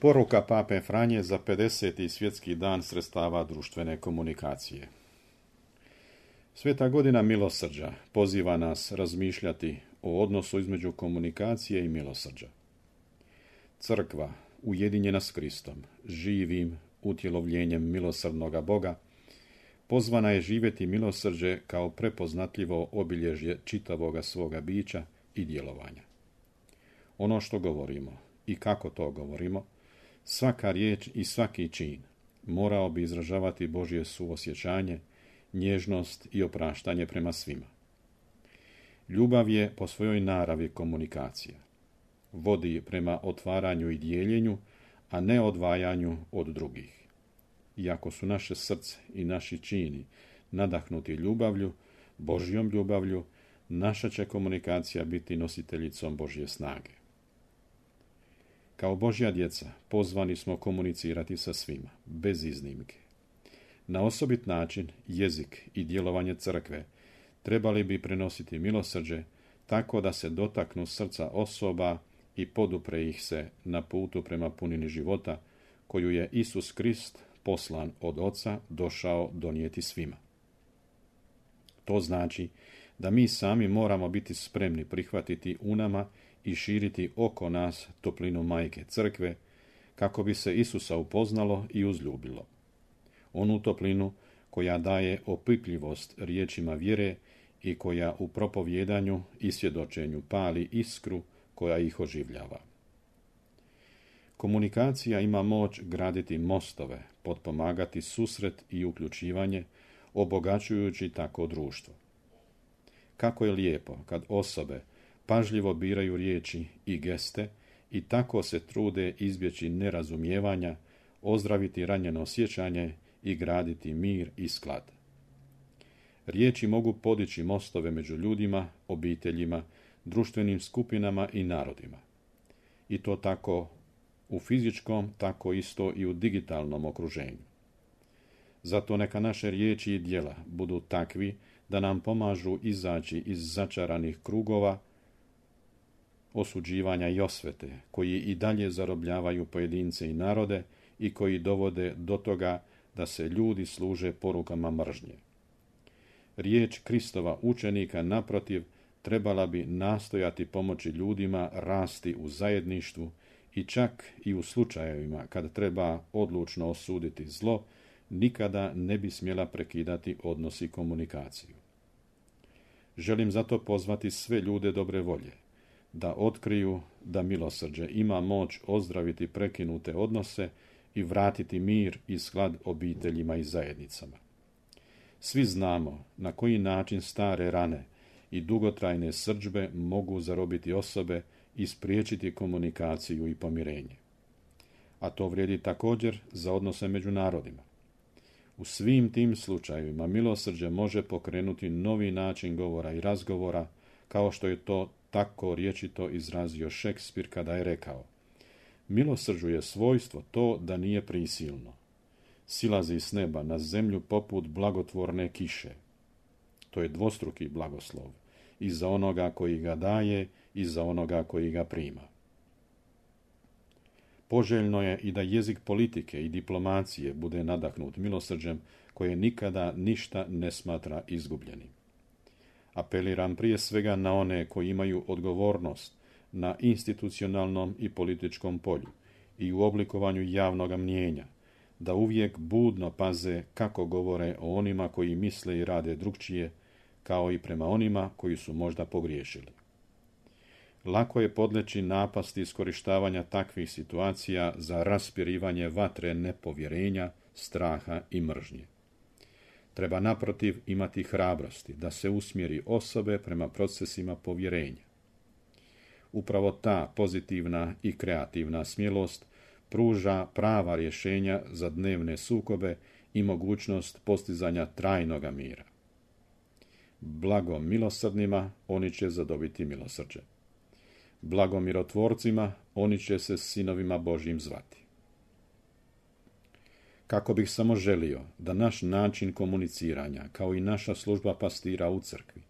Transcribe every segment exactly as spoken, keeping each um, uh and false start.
Poruka pape Franje za pedeseti svjetski dan sredstava društvene komunikacije. Sveta godina milosrđa poziva nas razmišljati o odnosu između komunikacije i milosrđa. Crkva, ujedinjena s Kristom, živim utjelovljenjem milosrdnoga Boga, pozvana je živjeti milosrđe kao prepoznatljivo obilježje čitavoga svoga bića i djelovanja. Ono što govorimo i kako to govorimo, svaka riječ i svaki čin morao bi izražavati Božje suosjećanje, nježnost i opraštanje prema svima. Ljubav je po svojoj naravi komunikacija. Vodi prema otvaranju i dijeljenju, a ne odvajanju od drugih. Iako su naše srce i naši čini nadahnuti ljubavlju, Božjom ljubavlju, naša će komunikacija biti nositeljicom Božje snage. Kao Božja djeca pozvani smo komunicirati sa svima, bez iznimke. Na osobit način jezik i djelovanje crkve trebali bi prenositi milosrđe tako da se dotaknu srca osoba i podupre ih se na putu prema punini života koju je Isus Krist, poslan od Oca, došao donijeti svima. To znači da mi sami moramo biti spremni prihvatiti u nama i širiti oko nas toplinu Majke Crkve, kako bi se Isusa upoznalo i uzljubilo. Onu toplinu koja daje opipljivost riječima vjere i koja u propovjedanju i svjedočenju pali iskru koja ih oživljava. Komunikacija ima moć graditi mostove, potpomagati susret i uključivanje, obogaćujući tako društvo. Kako je lijepo kad osobe pažljivo biraju riječi i geste i tako se trude izbjeći nerazumijevanja, ozdraviti ranjeno osjećanje i graditi mir i sklad. Riječi mogu podići mostove među ljudima, obiteljima, društvenim skupinama i narodima. I to tako u fizičkom, tako isto i u digitalnom okruženju. Zato neka naše riječi i djela budu takvi da nam pomažu izaći iz začaranih krugova osuđivanja i osvete, koji i dalje zarobljavaju pojedince i narode i koji dovode do toga da se ljudi služe porukama mržnje. Riječ Kristova učenika, naprotiv, trebala bi nastojati pomoći ljudima rasti u zajedništvu i čak i u slučajevima kada treba odlučno osuditi zlo, nikada ne bi smjela prekidati odnos i komunikaciju. Želim zato pozvati sve ljude dobre volje da otkriju da milosrđe ima moć ozdraviti prekinute odnose i vratiti mir i sklad obiteljima i zajednicama. Svi znamo na koji način stare rane i dugotrajne srdžbe mogu zarobiti osobe i spriječiti komunikaciju i pomirenje. A to vrijedi također za odnose među narodima. U svim tim slučajevima milosrđe može pokrenuti novi način govora i razgovora, kao što je to tako rječito izrazio Šekspir kada je rekao: milosrđu je svojstvo to da nije prisilno. Silazi s neba na zemlju poput blagotvorne kiše. To je dvostruki blagoslov, i za onoga koji ga daje i za onoga koji ga prima. Poželjno je i da jezik politike i diplomacije bude nadahnut milosrđem koje nikada ništa ne smatra izgubljenim. Apeliram prije svega na one koji imaju odgovornost na institucionalnom i političkom polju i u oblikovanju javnog mnijenja, da uvijek budno paze kako govore o onima koji misle i rade drukčije, kao i prema onima koji su možda pogriješili. Lako je podleći napasti iskorištavanja takvih situacija za raspirivanje vatre nepovjerenja, straha i mržnje. Treba naprotiv imati hrabrosti da se usmjeri osobe prema procesima povjerenja. Upravo ta pozitivna i kreativna smjelost pruža prava rješenja za dnevne sukobe i mogućnost postizanja trajnoga mira. Blago milosrdnima, oni će zadobiti milosrđe. Blago mirotvorcima, oni će se sinovima Božjim zvati. Kako bih samo želio da naš način komuniciranja, kao i naša služba pastira u crkvi,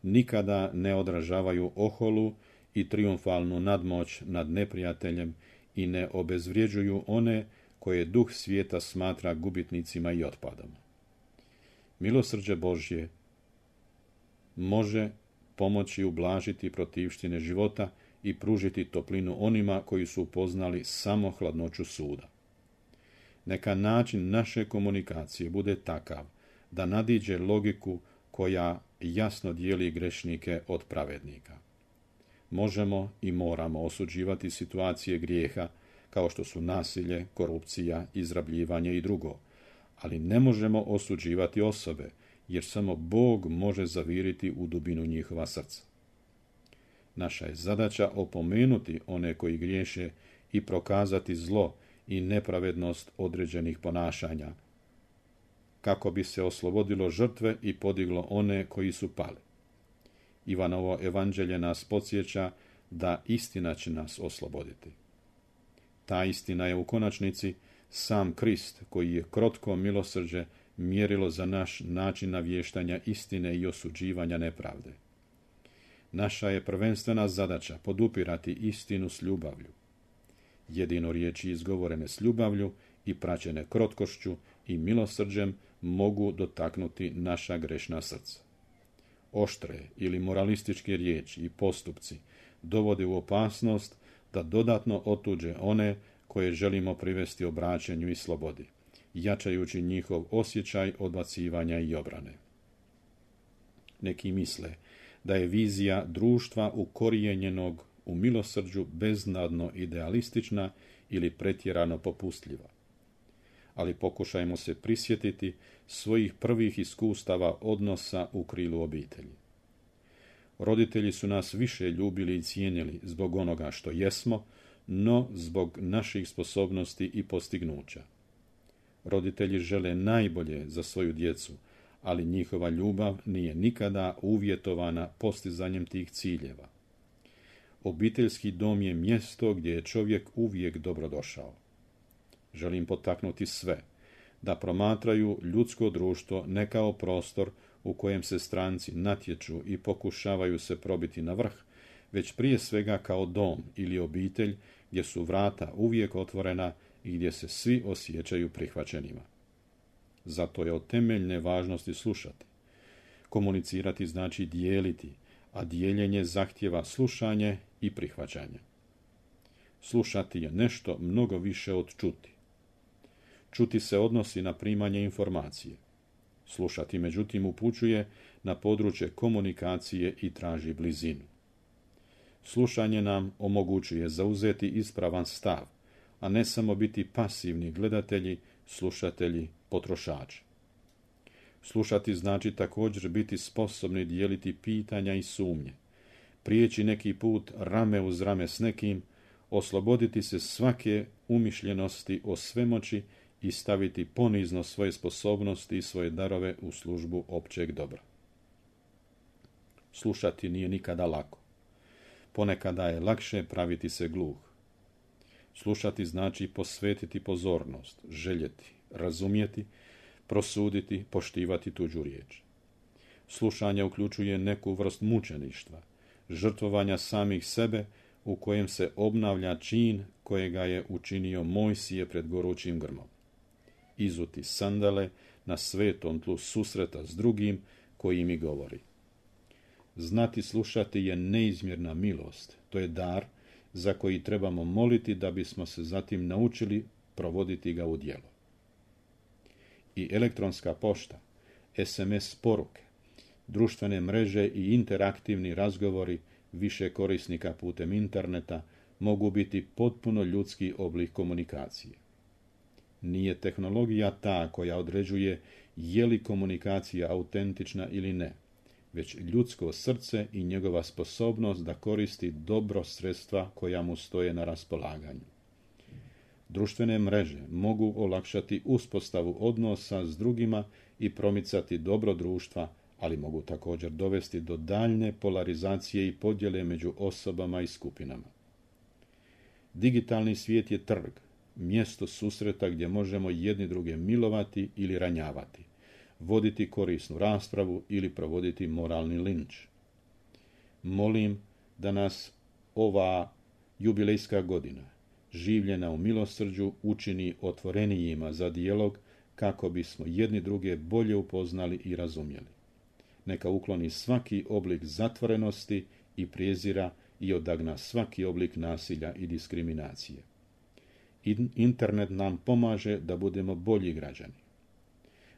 nikada ne odražavaju oholu i trijumfalnu nadmoć nad neprijateljem i ne obezvrjeđuju one koje duh svijeta smatra gubitnicima i otpadom. Milosrđe Božje može pomoći ublažiti protivštine života i pružiti toplinu onima koji su upoznali samo hladnoću suda. Neka način naše komunikacije bude takav da nadiđe logiku koja jasno dijeli grešnike od pravednika. Možemo i moramo osuđivati situacije grijeha kao što su nasilje, korupcija, izrabljivanje i drugo, ali ne možemo osuđivati osobe, jer samo Bog može zaviriti u dubinu njihova srca. Naša je zadaća opomenuti one koji griješe i prokazati zlo i nepravednost određenih ponašanja, kako bi se oslobodilo žrtve i podiglo one koji su pali. Ivanovo evanđelje nas podsjeća da istina će nas osloboditi. Ta istina je u konačnici sam Krist, koji je krotko milosrđe mjerilo za naš način navještanja istine i osuđivanja nepravde. Naša je prvenstvena zadaća podupirati istinu s ljubavlju. Jedino riječi izgovorene s ljubavlju i praćene krotkošću i milosrđem mogu dotaknuti naša grešna srca. Oštre ili moralističke riječi i postupci dovode u opasnost da dodatno otuđe one koje želimo privesti obraćanju i slobodi, jačajući njihov osjećaj odbacivanja i obrane. Neki misle da je vizija društva ukorijenjenog u milosrđu beznadno idealistična ili pretjerano popustljiva. Ali pokušajmo se prisjetiti svojih prvih iskustava odnosa u krilu obitelji. Roditelji su nas više ljubili i cijenili zbog onoga što jesmo, no zbog naših sposobnosti i postignuća. Roditelji žele najbolje za svoju djecu, ali njihova ljubav nije nikada uvjetovana postizanjem tih ciljeva. Obiteljski dom je mjesto gdje je čovjek uvijek dobrodošao. Želim potaknuti sve da promatraju ljudsko društvo ne kao prostor u kojem se stranci natječu i pokušavaju se probiti na vrh, već prije svega kao dom ili obitelj gdje su vrata uvijek otvorena i gdje se svi osjećaju prihvaćenima. Zato je od temeljne važnosti slušati. Komunicirati znači dijeliti, a dijeljenje zahtijeva slušanje i prihvaćanje. Slušati je nešto mnogo više od čuti. Čuti se odnosi na primanje informacije. Slušati, međutim, upućuje na područje komunikacije i traži blizinu. Slušanje nam omogućuje zauzeti ispravan stav, a ne samo biti pasivni gledatelji, slušatelji, potrošači. Slušati znači također biti sposobni dijeliti pitanja i sumnje, prijeći neki put rame uz rame s nekim, osloboditi se svake umišljenosti o svemoći i staviti ponizno svoje sposobnosti i svoje darove u službu općeg dobra. Slušati nije nikada lako. Ponekada je lakše praviti se gluh. Slušati znači posvetiti pozornost, željeti, razumjeti, prosuditi, poštivati tuđu riječ. Slušanje uključuje neku vrst mučeništva, žrtvovanja samih sebe u kojem se obnavlja čin kojega je učinio Mojsije pred gorućim grmom. Izuti sandale na svetom tlu susreta s drugim koji mi govori. Znati slušati je neizmjerna milost, to je dar za koji trebamo moliti da bismo se zatim naučili provoditi ga u djelo. I elektronska pošta, es em es poruke, društvene mreže i interaktivni razgovori više korisnika putem interneta mogu biti potpuno ljudski oblik komunikacije. Nije tehnologija ta koja određuje je li komunikacija autentična ili ne, već ljudsko srce i njegova sposobnost da koristi dobro sredstva koja mu stoje na raspolaganju. Društvene mreže mogu olakšati uspostavu odnosa s drugima i promicati dobro društva, ali mogu također dovesti do daljne polarizacije i podjele među osobama i skupinama. Digitalni svijet je trg, mjesto susreta gdje možemo jedni druge milovati ili ranjavati, voditi korisnu raspravu ili provoditi moralni linč. Molim da nas ova jubilejska godina življena u milosrđu, učini otvorenijima za dijalog kako bismo jedni druge bolje upoznali i razumjeli. Neka ukloni svaki oblik zatvorenosti i prijezira i odagna svaki oblik nasilja i diskriminacije. Internet nam pomaže da budemo bolji građani.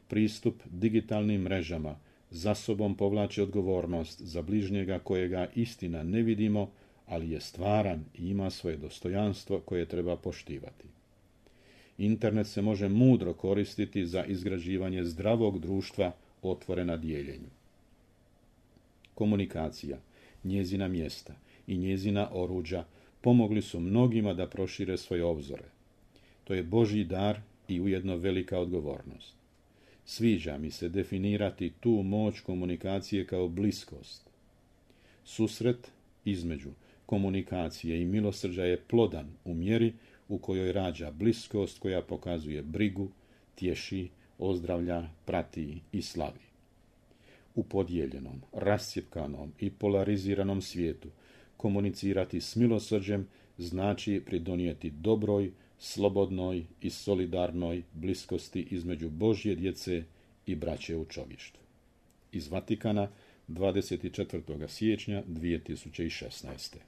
Pristup digitalnim mrežama za sobom povlači odgovornost za bližnjega kojega istina ne vidimo, ali je stvaran i ima svoje dostojanstvo koje treba poštivati. Internet se može mudro koristiti za izgrađivanje zdravog društva otvorena dijeljenju. Komunikacija, njezina mjesta i njezina oruđa pomogli su mnogima da prošire svoje obzore. To je Božji dar i ujedno velika odgovornost. Sviđa mi se definirati tu moć komunikacije kao bliskost. Susret između komunikacije i milosrđa je plodan u mjeri u kojoj rađa bliskost koja pokazuje brigu, tješi, ozdravlja, prati i slavi. U podijeljenom, rascjepkanom i polariziranom svijetu komunicirati s milosrđem znači pridonijeti dobroj, slobodnoj i solidarnoj bliskosti između Božje djece i braće u čovještvu. Iz Vatikana, dvadeset četvrtog siječnja dvije tisuće šesnaeste.